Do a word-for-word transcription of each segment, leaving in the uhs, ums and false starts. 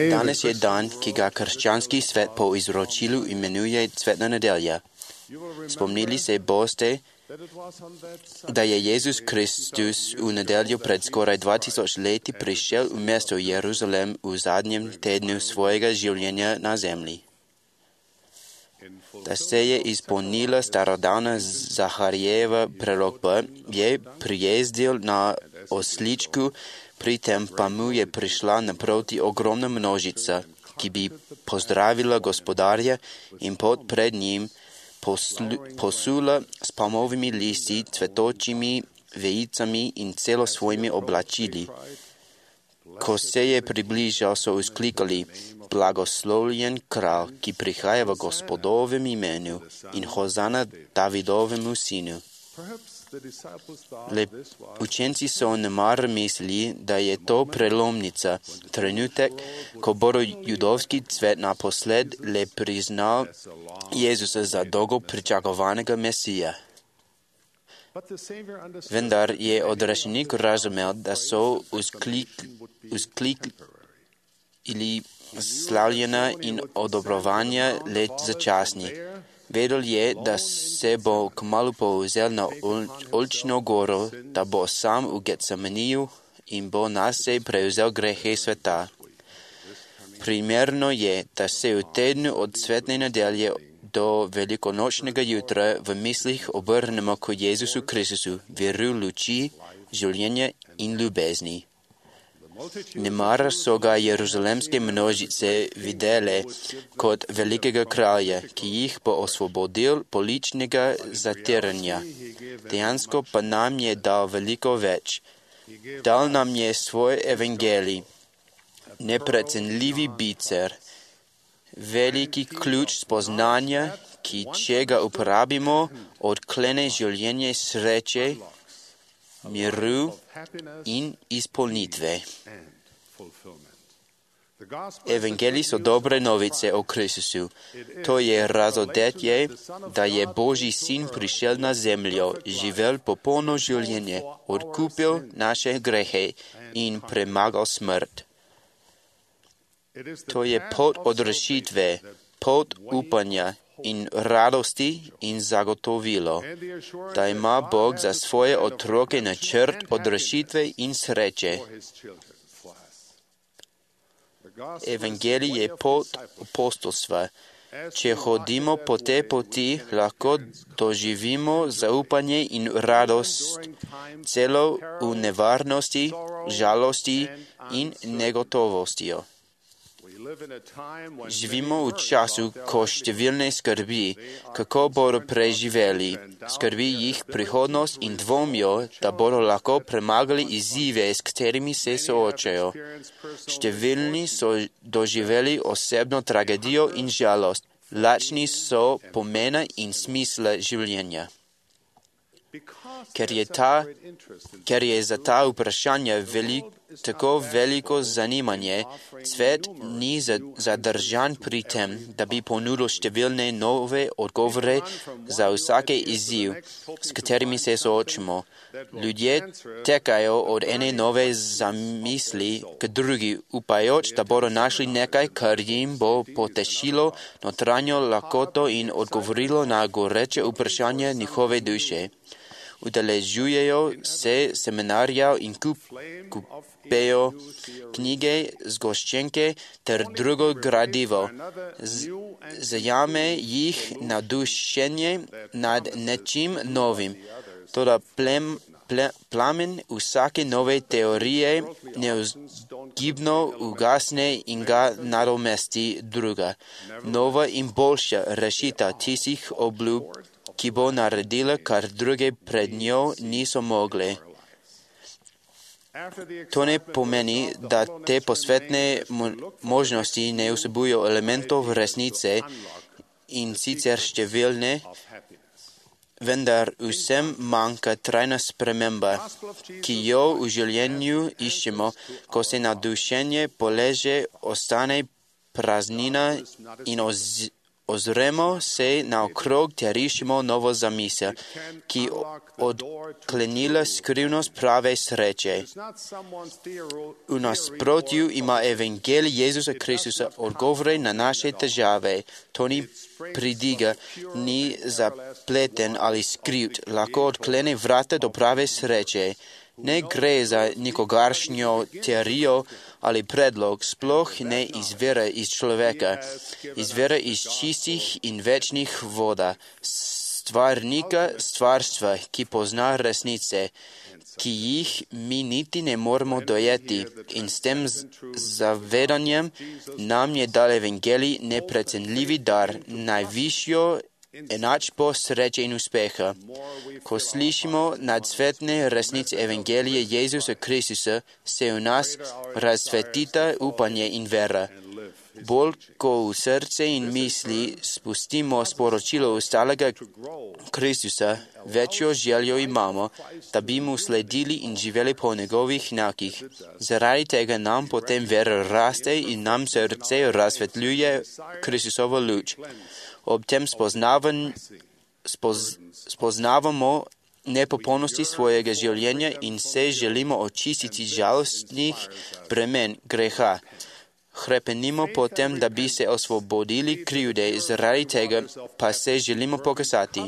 Danas je dan, ki ga krščanski svet po izročilu imenuje Cvetna nedelja. Spomnili se boste, da je Jezus Kristus v nedeljo pred skoraj dva tisoč leti prišel v mesto Jeruzalem v zadnjem tednu svojega življenja na zemlji. Da se je izpolnila starodavna Zaharijeva prorokba, je prijezdil na osličku, pri tem pa mu je prišla naproti ogromna množica, ki bi pozdravila gospodarja in pot pred njim poslu, posula s palmovimi listi, cvetočimi vejicami in celo svojimi oblačili. Ko se je približal, so vzklikali: Blagoslovljen kralj, ki prihaja v Gospodovem imenu, in hozana Davidovemu sinu. Le učenci so nemar mislili, da je to prelomnica, trenutek, ko bo judovski svet naposled le priznal Jezusa za dolgo pričakovanega Mesija. Vendar je odrešenik razumel, da so vzklikali slavljena in odobrovanja le začasni. Vedel je, da se bo kmalu povzel na oljčno goro, da bo sam v Getsemaniju in bo nase prevzel grehe sveta. Primerno je, da se v tednu od Svetne nedelje do velikonočnega jutra v mislih obrnemo k Jezusu Kristusu, veru luči, življenja in ljubezni. Nemara so ga jeruzalemske množice videle kot velikega kralja, ki jih bo osvobodil političnega zatiranja. Dejansko pa nam je dal veliko več. Dal nam je svoj evangelij, neprecenljivi bicer, veliki ključ spoznanja, ki če ga uporabimo, odklene življenje sreče, miru in izpolnitve. Evangeliji so dobre novice o Kristusu. To je razodetje, da je Božji sin prišel na zemljo, živel popolno življenje, odkupil naše grehe in premagal smrt. To je pot odrešitve, pot upanja in radosti in zagotovilo, da ima Bog za svoje otroke načrt odrešitve in sreče. Evangelij je pot apostolstva. Če hodimo po tej poti, lahko doživimo zaupanje in radost celo v nevarnosti, žalosti in negotovostjo. Živimo v času, ko številne skrbi, kako bodo preživeli, skrbi jih prihodnost in dvomijo, da bodo lahko premagali izzive, s katerimi se soočajo. Številni so doživeli osebno tragedijo in žalost, lačni so pomena in smisla življenja. Ker je, ta, ker je za ta vprašanja velik, tako veliko zanimanje, svet ni zadržan pri tem, da bi ponudil številne nove odgovore za vsake izziv, s katerimi se soočimo. Ljudje tekajo od ene nove zamisli k drugi, upajoč, da bodo našli nekaj, kar jim bo potešilo notranjo lakoto in odgovorilo na goreče vprašanja njihove duše. Udeležujejo se seminarja in kup, kupejo knjige, zgoščenke ter drugo gradivo. Z, zajame jih navdušenje nad nečim novim. Toda plem, ple, plamen vsake nove teorije neuzgibno ugasne in ga nadomesti druga, nova in boljša rešitev tistih obljub, ki bo naredila, kar druge pred njo niso mogle. To ne pomeni, da te posvetne možnosti ne vsebujo elementov resnice in sicer številne, vendar vsem manjka trajna sprememba, ki jo v življenju iščemo, ko se navdušenje poleže, ostane praznina in oz, ozremo se naokrog ter iščemo novo zamisel, ki odklenila skrivnost prave sreče. V nasprotju ima evangelij Jezusa Kristusa odgovore na naše težave. To ni pridiga, ni zapleten ali skrivt, lahko odklene vrata do prave sreče. Ne gre za nikogaršnjo teorijo ali predlog, sploh ne izvira iz človeka, izvira iz čistih in večnih voda, stvarnika stvarstva, ki pozna resnice, ki jih mi niti ne moramo dojeti, in s tem zavedanjem nam je dal evangelij neprecenljivi dar, najvišjo enačbo sreče in uspeha. Ko slišimo nadsvetne resnice evangelije Jezusa Kristusa, se v nas razsvetita upanje in vera. Bolj, ko v srce in misli spustimo sporočilo ostalega Kristusa, večjo željo imamo, da bi mu sledili in živeli po njegovih znakih. Zaradi tega nam potem vera raste in nam srce razsvetljuje Kristusovo luč. Ob tem spoznavan, spoz, spoznavamo nepopolnosti svojega življenja in se želimo očistiti žalostnih bremen greha. Hrepenimo potem, da bi se osvobodili krivde, zaradi tega pa se želimo pokazati.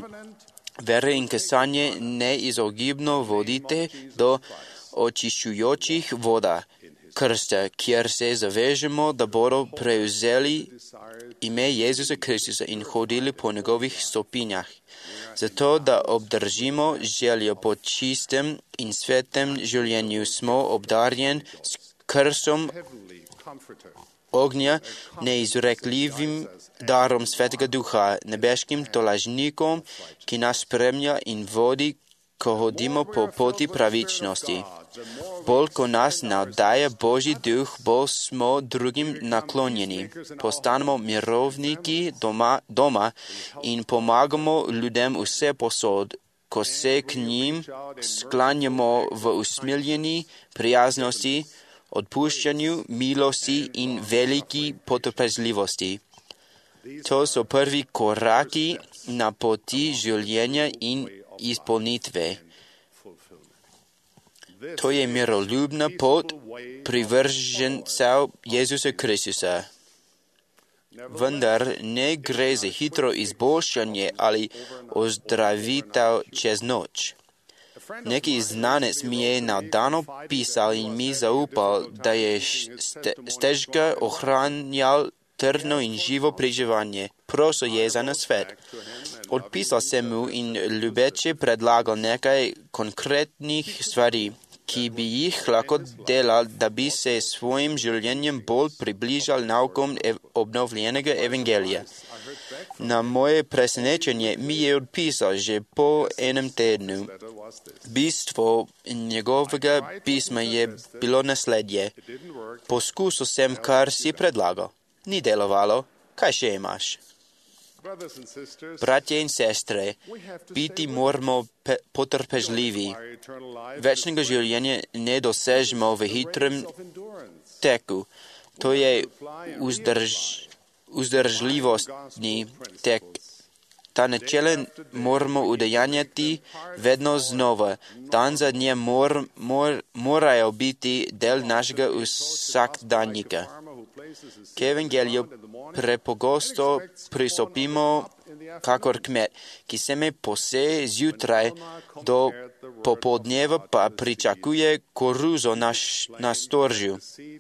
Vera in kazanje neizogibno vodite do očiščujočih voda krsta, kjer se zavežemo, da bodo prevzeli ime Jezusa Kristusa in hodili po njegovih stopinjah. Zato, da obdržimo željo po čistem in svetem življenju, smo obdarjen s krsom ognja, neizrekljivim darom Svetega Duha, nebeškim tolažnikom, ki nas spremlja in vodi, ko hodimo po poti pravičnosti. Bolj, ko nas navdaja Božji duh, bolj smo drugim naklonjeni. Postanemo mirovniki doma, doma in pomagamo ljudem vse posod, ko se k njim sklanjamo v usmiljeni prijaznosti, odpuščanju, milosti in veliki potrpežljivosti. To so prvi koraki na poti življenja in izpolnitve. To je miroljubna pot privržencev Jezusa Kristusa. Vendar ne gre za hitro izboljšanje ali ozdravitev čez noč. Neki znanec mi je navdano pisal in mi zaupal, da je stežka ohranjal trdno in živo preživanje. Prosil je za nasvet. Odpisal sem mu in ljubeče predlagal nekaj konkretnih stvari, ki bi jih lahko delal, da bi se svojim življenjem bolj približal naukom ev- obnovljenega evangelija. Na moje presenečenje mi je odpisal že po enem tednu. Bistvo njegovega pisma je bilo naslednje. Poskusil sem, kar si predlagal. Ni delovalo. Kaj še imaš? Bratje in sestre, biti moramo pe- potrpežljivi. Večnega življenja ne dosežemo v hitrem teku. To je vzdrž, vzdržljivostni tek. Ta načela moramo udejanjati vedno znova. Dan za dnjem mor, mor, morajo biti del našega vsakdanjika. K evangeliju prepogosto pristopimo kakor kmet, ki seme poseje zjutraj, do popoldneva pa pričakuje koruzo na, na storžju.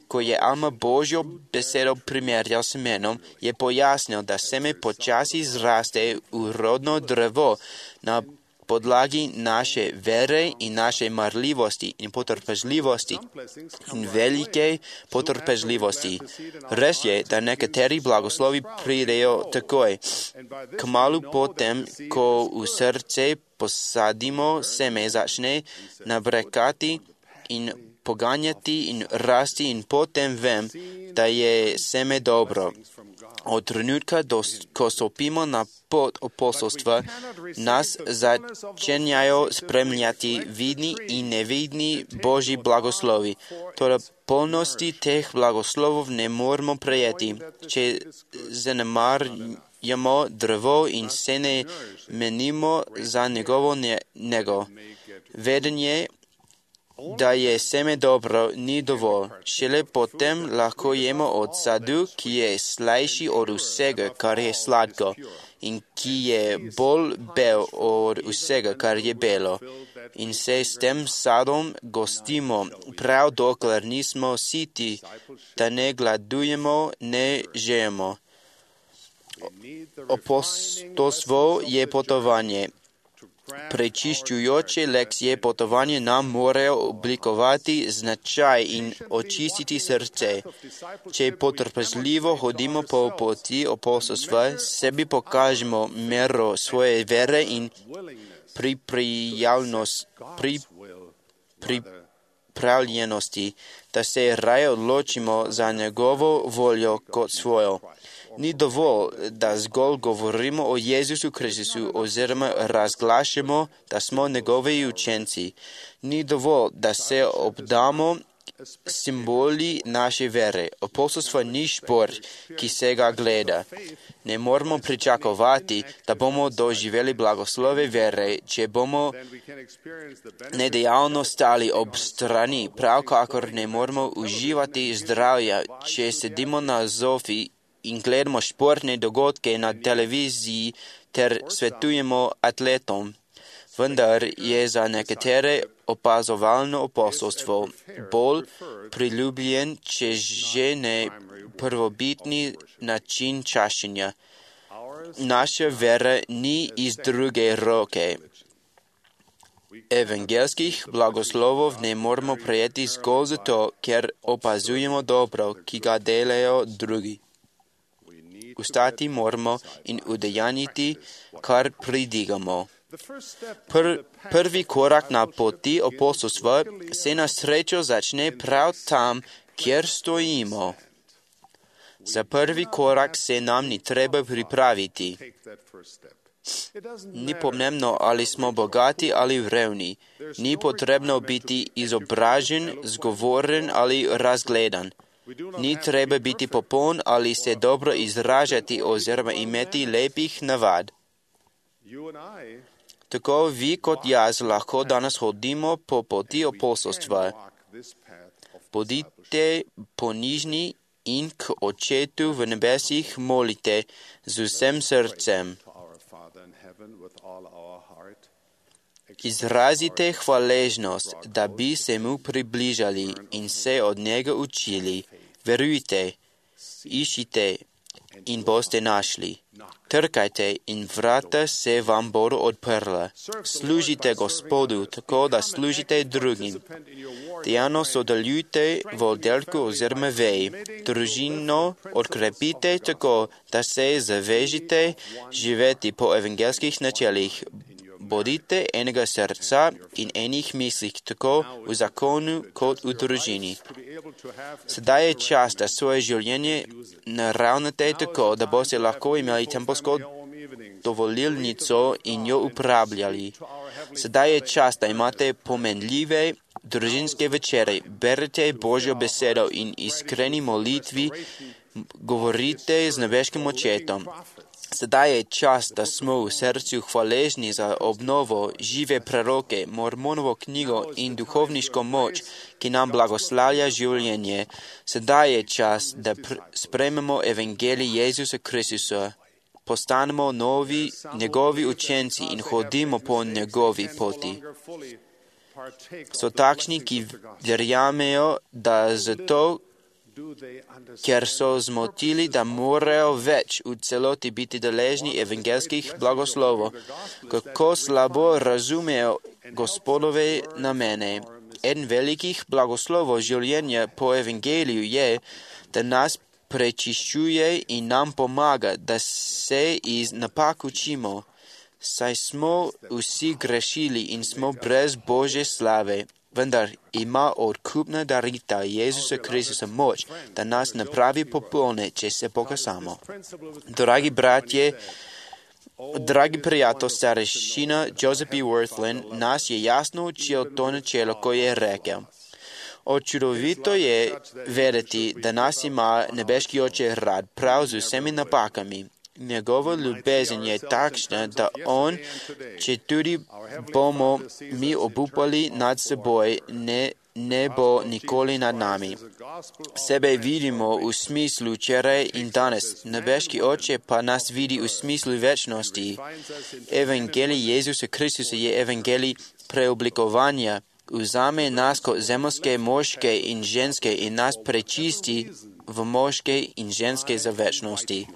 Ko je Alma Božjo besedo primerjal s semenom, je pojasnil, da seme počasi zraste v rodno drevo na podlagi naše vere in naše marljivosti in potrpežljivosti in velike potrpežljivosti. Res je, da nekateri blagoslovi pridejo takoj. Kmalu potem, ko v srce posadimo, seme začne nabrekati in poganjati in rasti in potem vem, da je seme dobro. Od trenutka, do, ko stopimo na pot apostolstva, nas začenjajo spremljati vidni in nevidni Božji blagoslovi. Toda polnosti teh blagoslovov ne moramo prejeti, če zanemar, Ямо дърво и се не менимо за негово него. Ведение да е семе добро ни дово. Шеле потем лахко емо от саду, ки е слайши от усега, кар е сладко, и ки е бол бел от усега, кар е бело. In se s tem sadom gostimo, prav dokler nismo siti, da ne gladujemo, ne žejemo. Apostolstvo je potovanje. Prečiščujoče lekcije potovanje nam morajo oblikovati značaj in očistiti srce. Če potrpežljivo hodimo po poti apostolstva, sebi pokažemo mero svoje vere in pripravljenost, pri, pripravljenosti, da se raje odločimo za njegovo voljo kot svojo. Ni dovolj, da zgolj govorimo o Jezusu Kristusu oziroma razglašamo, da smo njegovi učenci. Ni dovolj, da se obdamo simboli naše vere. Apostolstvo ni šport, ki se ga gleda. Ne moramo pričakovati, da bomo doživeli blagoslove vere, če bomo nedejavno stali ob strani, prav kakor ne moramo uživati zdravja, če sedimo na zofi in gledamo športne dogodke na televiziji ter svetujemo atletom. Vendar je za nekatere opazovalno apostolstvo bolj priljubljen, če že ne prvobitni način čašenja. Naša vera ni iz druge roke. Evangelskih blagoslovov ne moramo prejeti zgolj zato, ker opazujemo dobro, ki ga delajo drugi. Ustati moramo in udejanjiti, kar pridigamo. Pr, prvi korak na poti apostolstva se na srečo začne prav tam, kjer stojimo. Za prvi korak se nam ni treba pripraviti. Ni pomembno, ali smo bogati ali revni. Ni potrebno biti izobražen, zgovoren ali razgledan. Ni treba biti popoln ali se dobro izražati oziroma imeti lepih navad. Tako vi kot jaz lahko danes hodimo po poti apostolstva. Bodite ponižni in k Očetu v nebesih molite z vsem srcem. Izrazite hvaležnost, da bi se mu približali in se od njega učili. Verujte, iščite in boste našli. Trkajte in vrata se vam bodo odprla. Služite Gospodu tako, da služite drugim. Dejavno sodelujte v oddelku oziroma veji. Družino odkrepite tako, da se zavežite živeti po evangelskih načelih. Bodite enega srca in enih mislih, tako v zakonu kot v družini. Sedaj je čas, da svoje življenje naravnate tako, da boste lahko imeli tempelsko dovolilnico in jo uporabljali. Sedaj je čas, da imate pomenljive družinske večere, berete Božjo besedo in iskreni molitvi govorite z nebeškim očetom. Sedaj je čas, da smo v srcu hvaležni za obnovo, žive proroke, Mormonovo knjigo in duhovniško moč, ki nam blagoslavlja življenje. Sedaj je čas, da pr- sprejmemo evangelij Jezusa Kristusa, postanemo novi njegovi učenci in hodimo po njegovi poti. So takšni, ki verjamejo, da zato, ker so zmotili, da morajo več v celoti biti deležni evangelskih blagoslovov, kako slabo razumejo Gospodove namene. En velikih blagoslovov življenja po evangeliju je, da nas prečiščuje in nam pomaga, da se iz napak učimo, saj smo vsi grešili in smo brez Božje slave. Vendar ima odkupna darita Jezusa Kristusa moč, da nas napravi popolne, če se pokasamo. Dragi bratje, dragi prijatelj, starešina Joseph B. Wirthlin nas je jasno učil to načelo, ko je rekel: Očudovito je vedeti, da nas ima nebeški oče rad prav z vsemi napakami. Njegova ljubezen je takšna, da On, če tudi bomo mi obupali nad seboj, ne, ne bo nikoli nad nami. Sebe vidimo v smislu včeraj in danes, nebeški Oče pa nas vidi v smislu večnosti. Evangelij Jezusa Kristusa je evangelij preoblikovanja. Vzame nas kot zemljske moške in ženske in nas prečisti v moške in ženske za večnosti.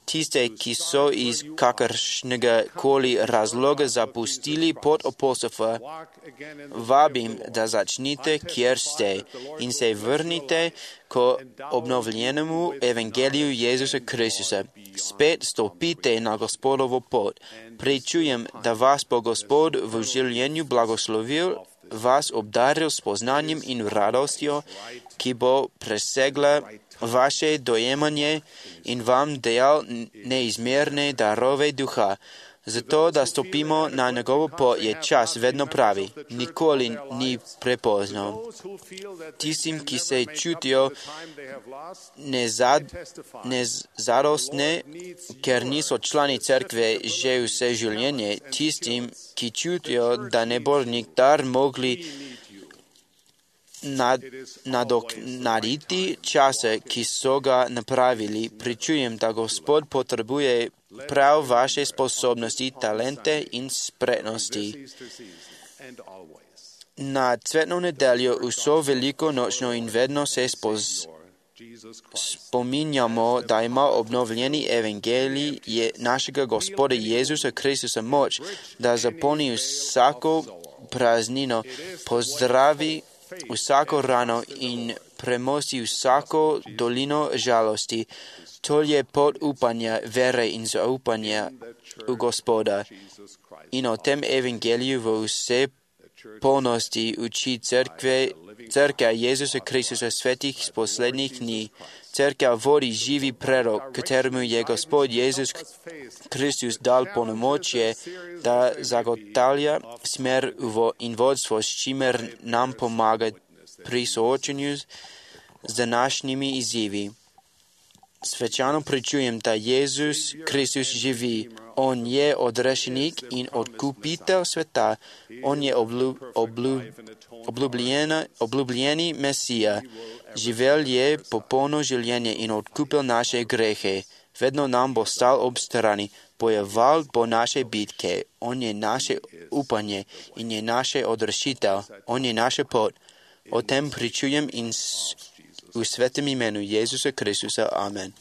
Tiste, ki so iz kakršnega koli razloga zapustili pot apostolstva, vabim, da začnite, kjer ste in se vrnite k obnovljenemu evangeliju Jezusa Kristusa. Spet stopite na Gospodovo pot. Pričujem, da vas bo Gospod v življenju blagoslovil, vas obdaril s poznanjem in radostjo, ki bo presegla vaše dojemanje in vam dejal neizmerne darove duha. Zato, da stopimo na njegovo pot, je čas vedno pravi. Nikoli ni prepozno. Tistim, ki se čutijo nezad, nezadostne, ker niso člani cerkve že vse življenje, tistim, ki čutijo, da ne bo nikdar mogli nad, nadoknaditi čase, ki so ga napravili, pričujem, da Gospod potrebuje prav vaše sposobnosti, talente in spretnosti. Na cvetno nedeljo vso veliko nočno in vedno se spoz, spominjamo, da ima obnovljeni evangelij je našega Gospoda Jezusa Kristusa moč, da zapolni vsako praznino, pozdravi vsako rano in premosti vsako dolino žalosti. To je pot upanja, vere in zaupanja v Gospoda. In o tem evangeliju v vse polnosti uči cerkve, cerkev Jezusa Kristusa svetih z poslednjih dni. Cerkev vodi živi prerok, kateremu je Gospod Jezus Kristus dal polnomočje, da zagotavlja smer in vodstvo, s čimer nam pomaga pri soočenju z današnjimi izzivi. Svečano pričujem, da Jezus Kristus živi. On je odrešenik in odkupitelj sveta. On je obljub, obljub, obljubljeni Mesija. Živel je popolno življenje in odkupil naše grehe. Vedno nam bo stal ob strani. Bojeval bo naše bitke. On je naše upanje in je naše odrešitev. On je naša pot. O tem pričujem in v svetem imenu Jezusa Kristusa. Amen.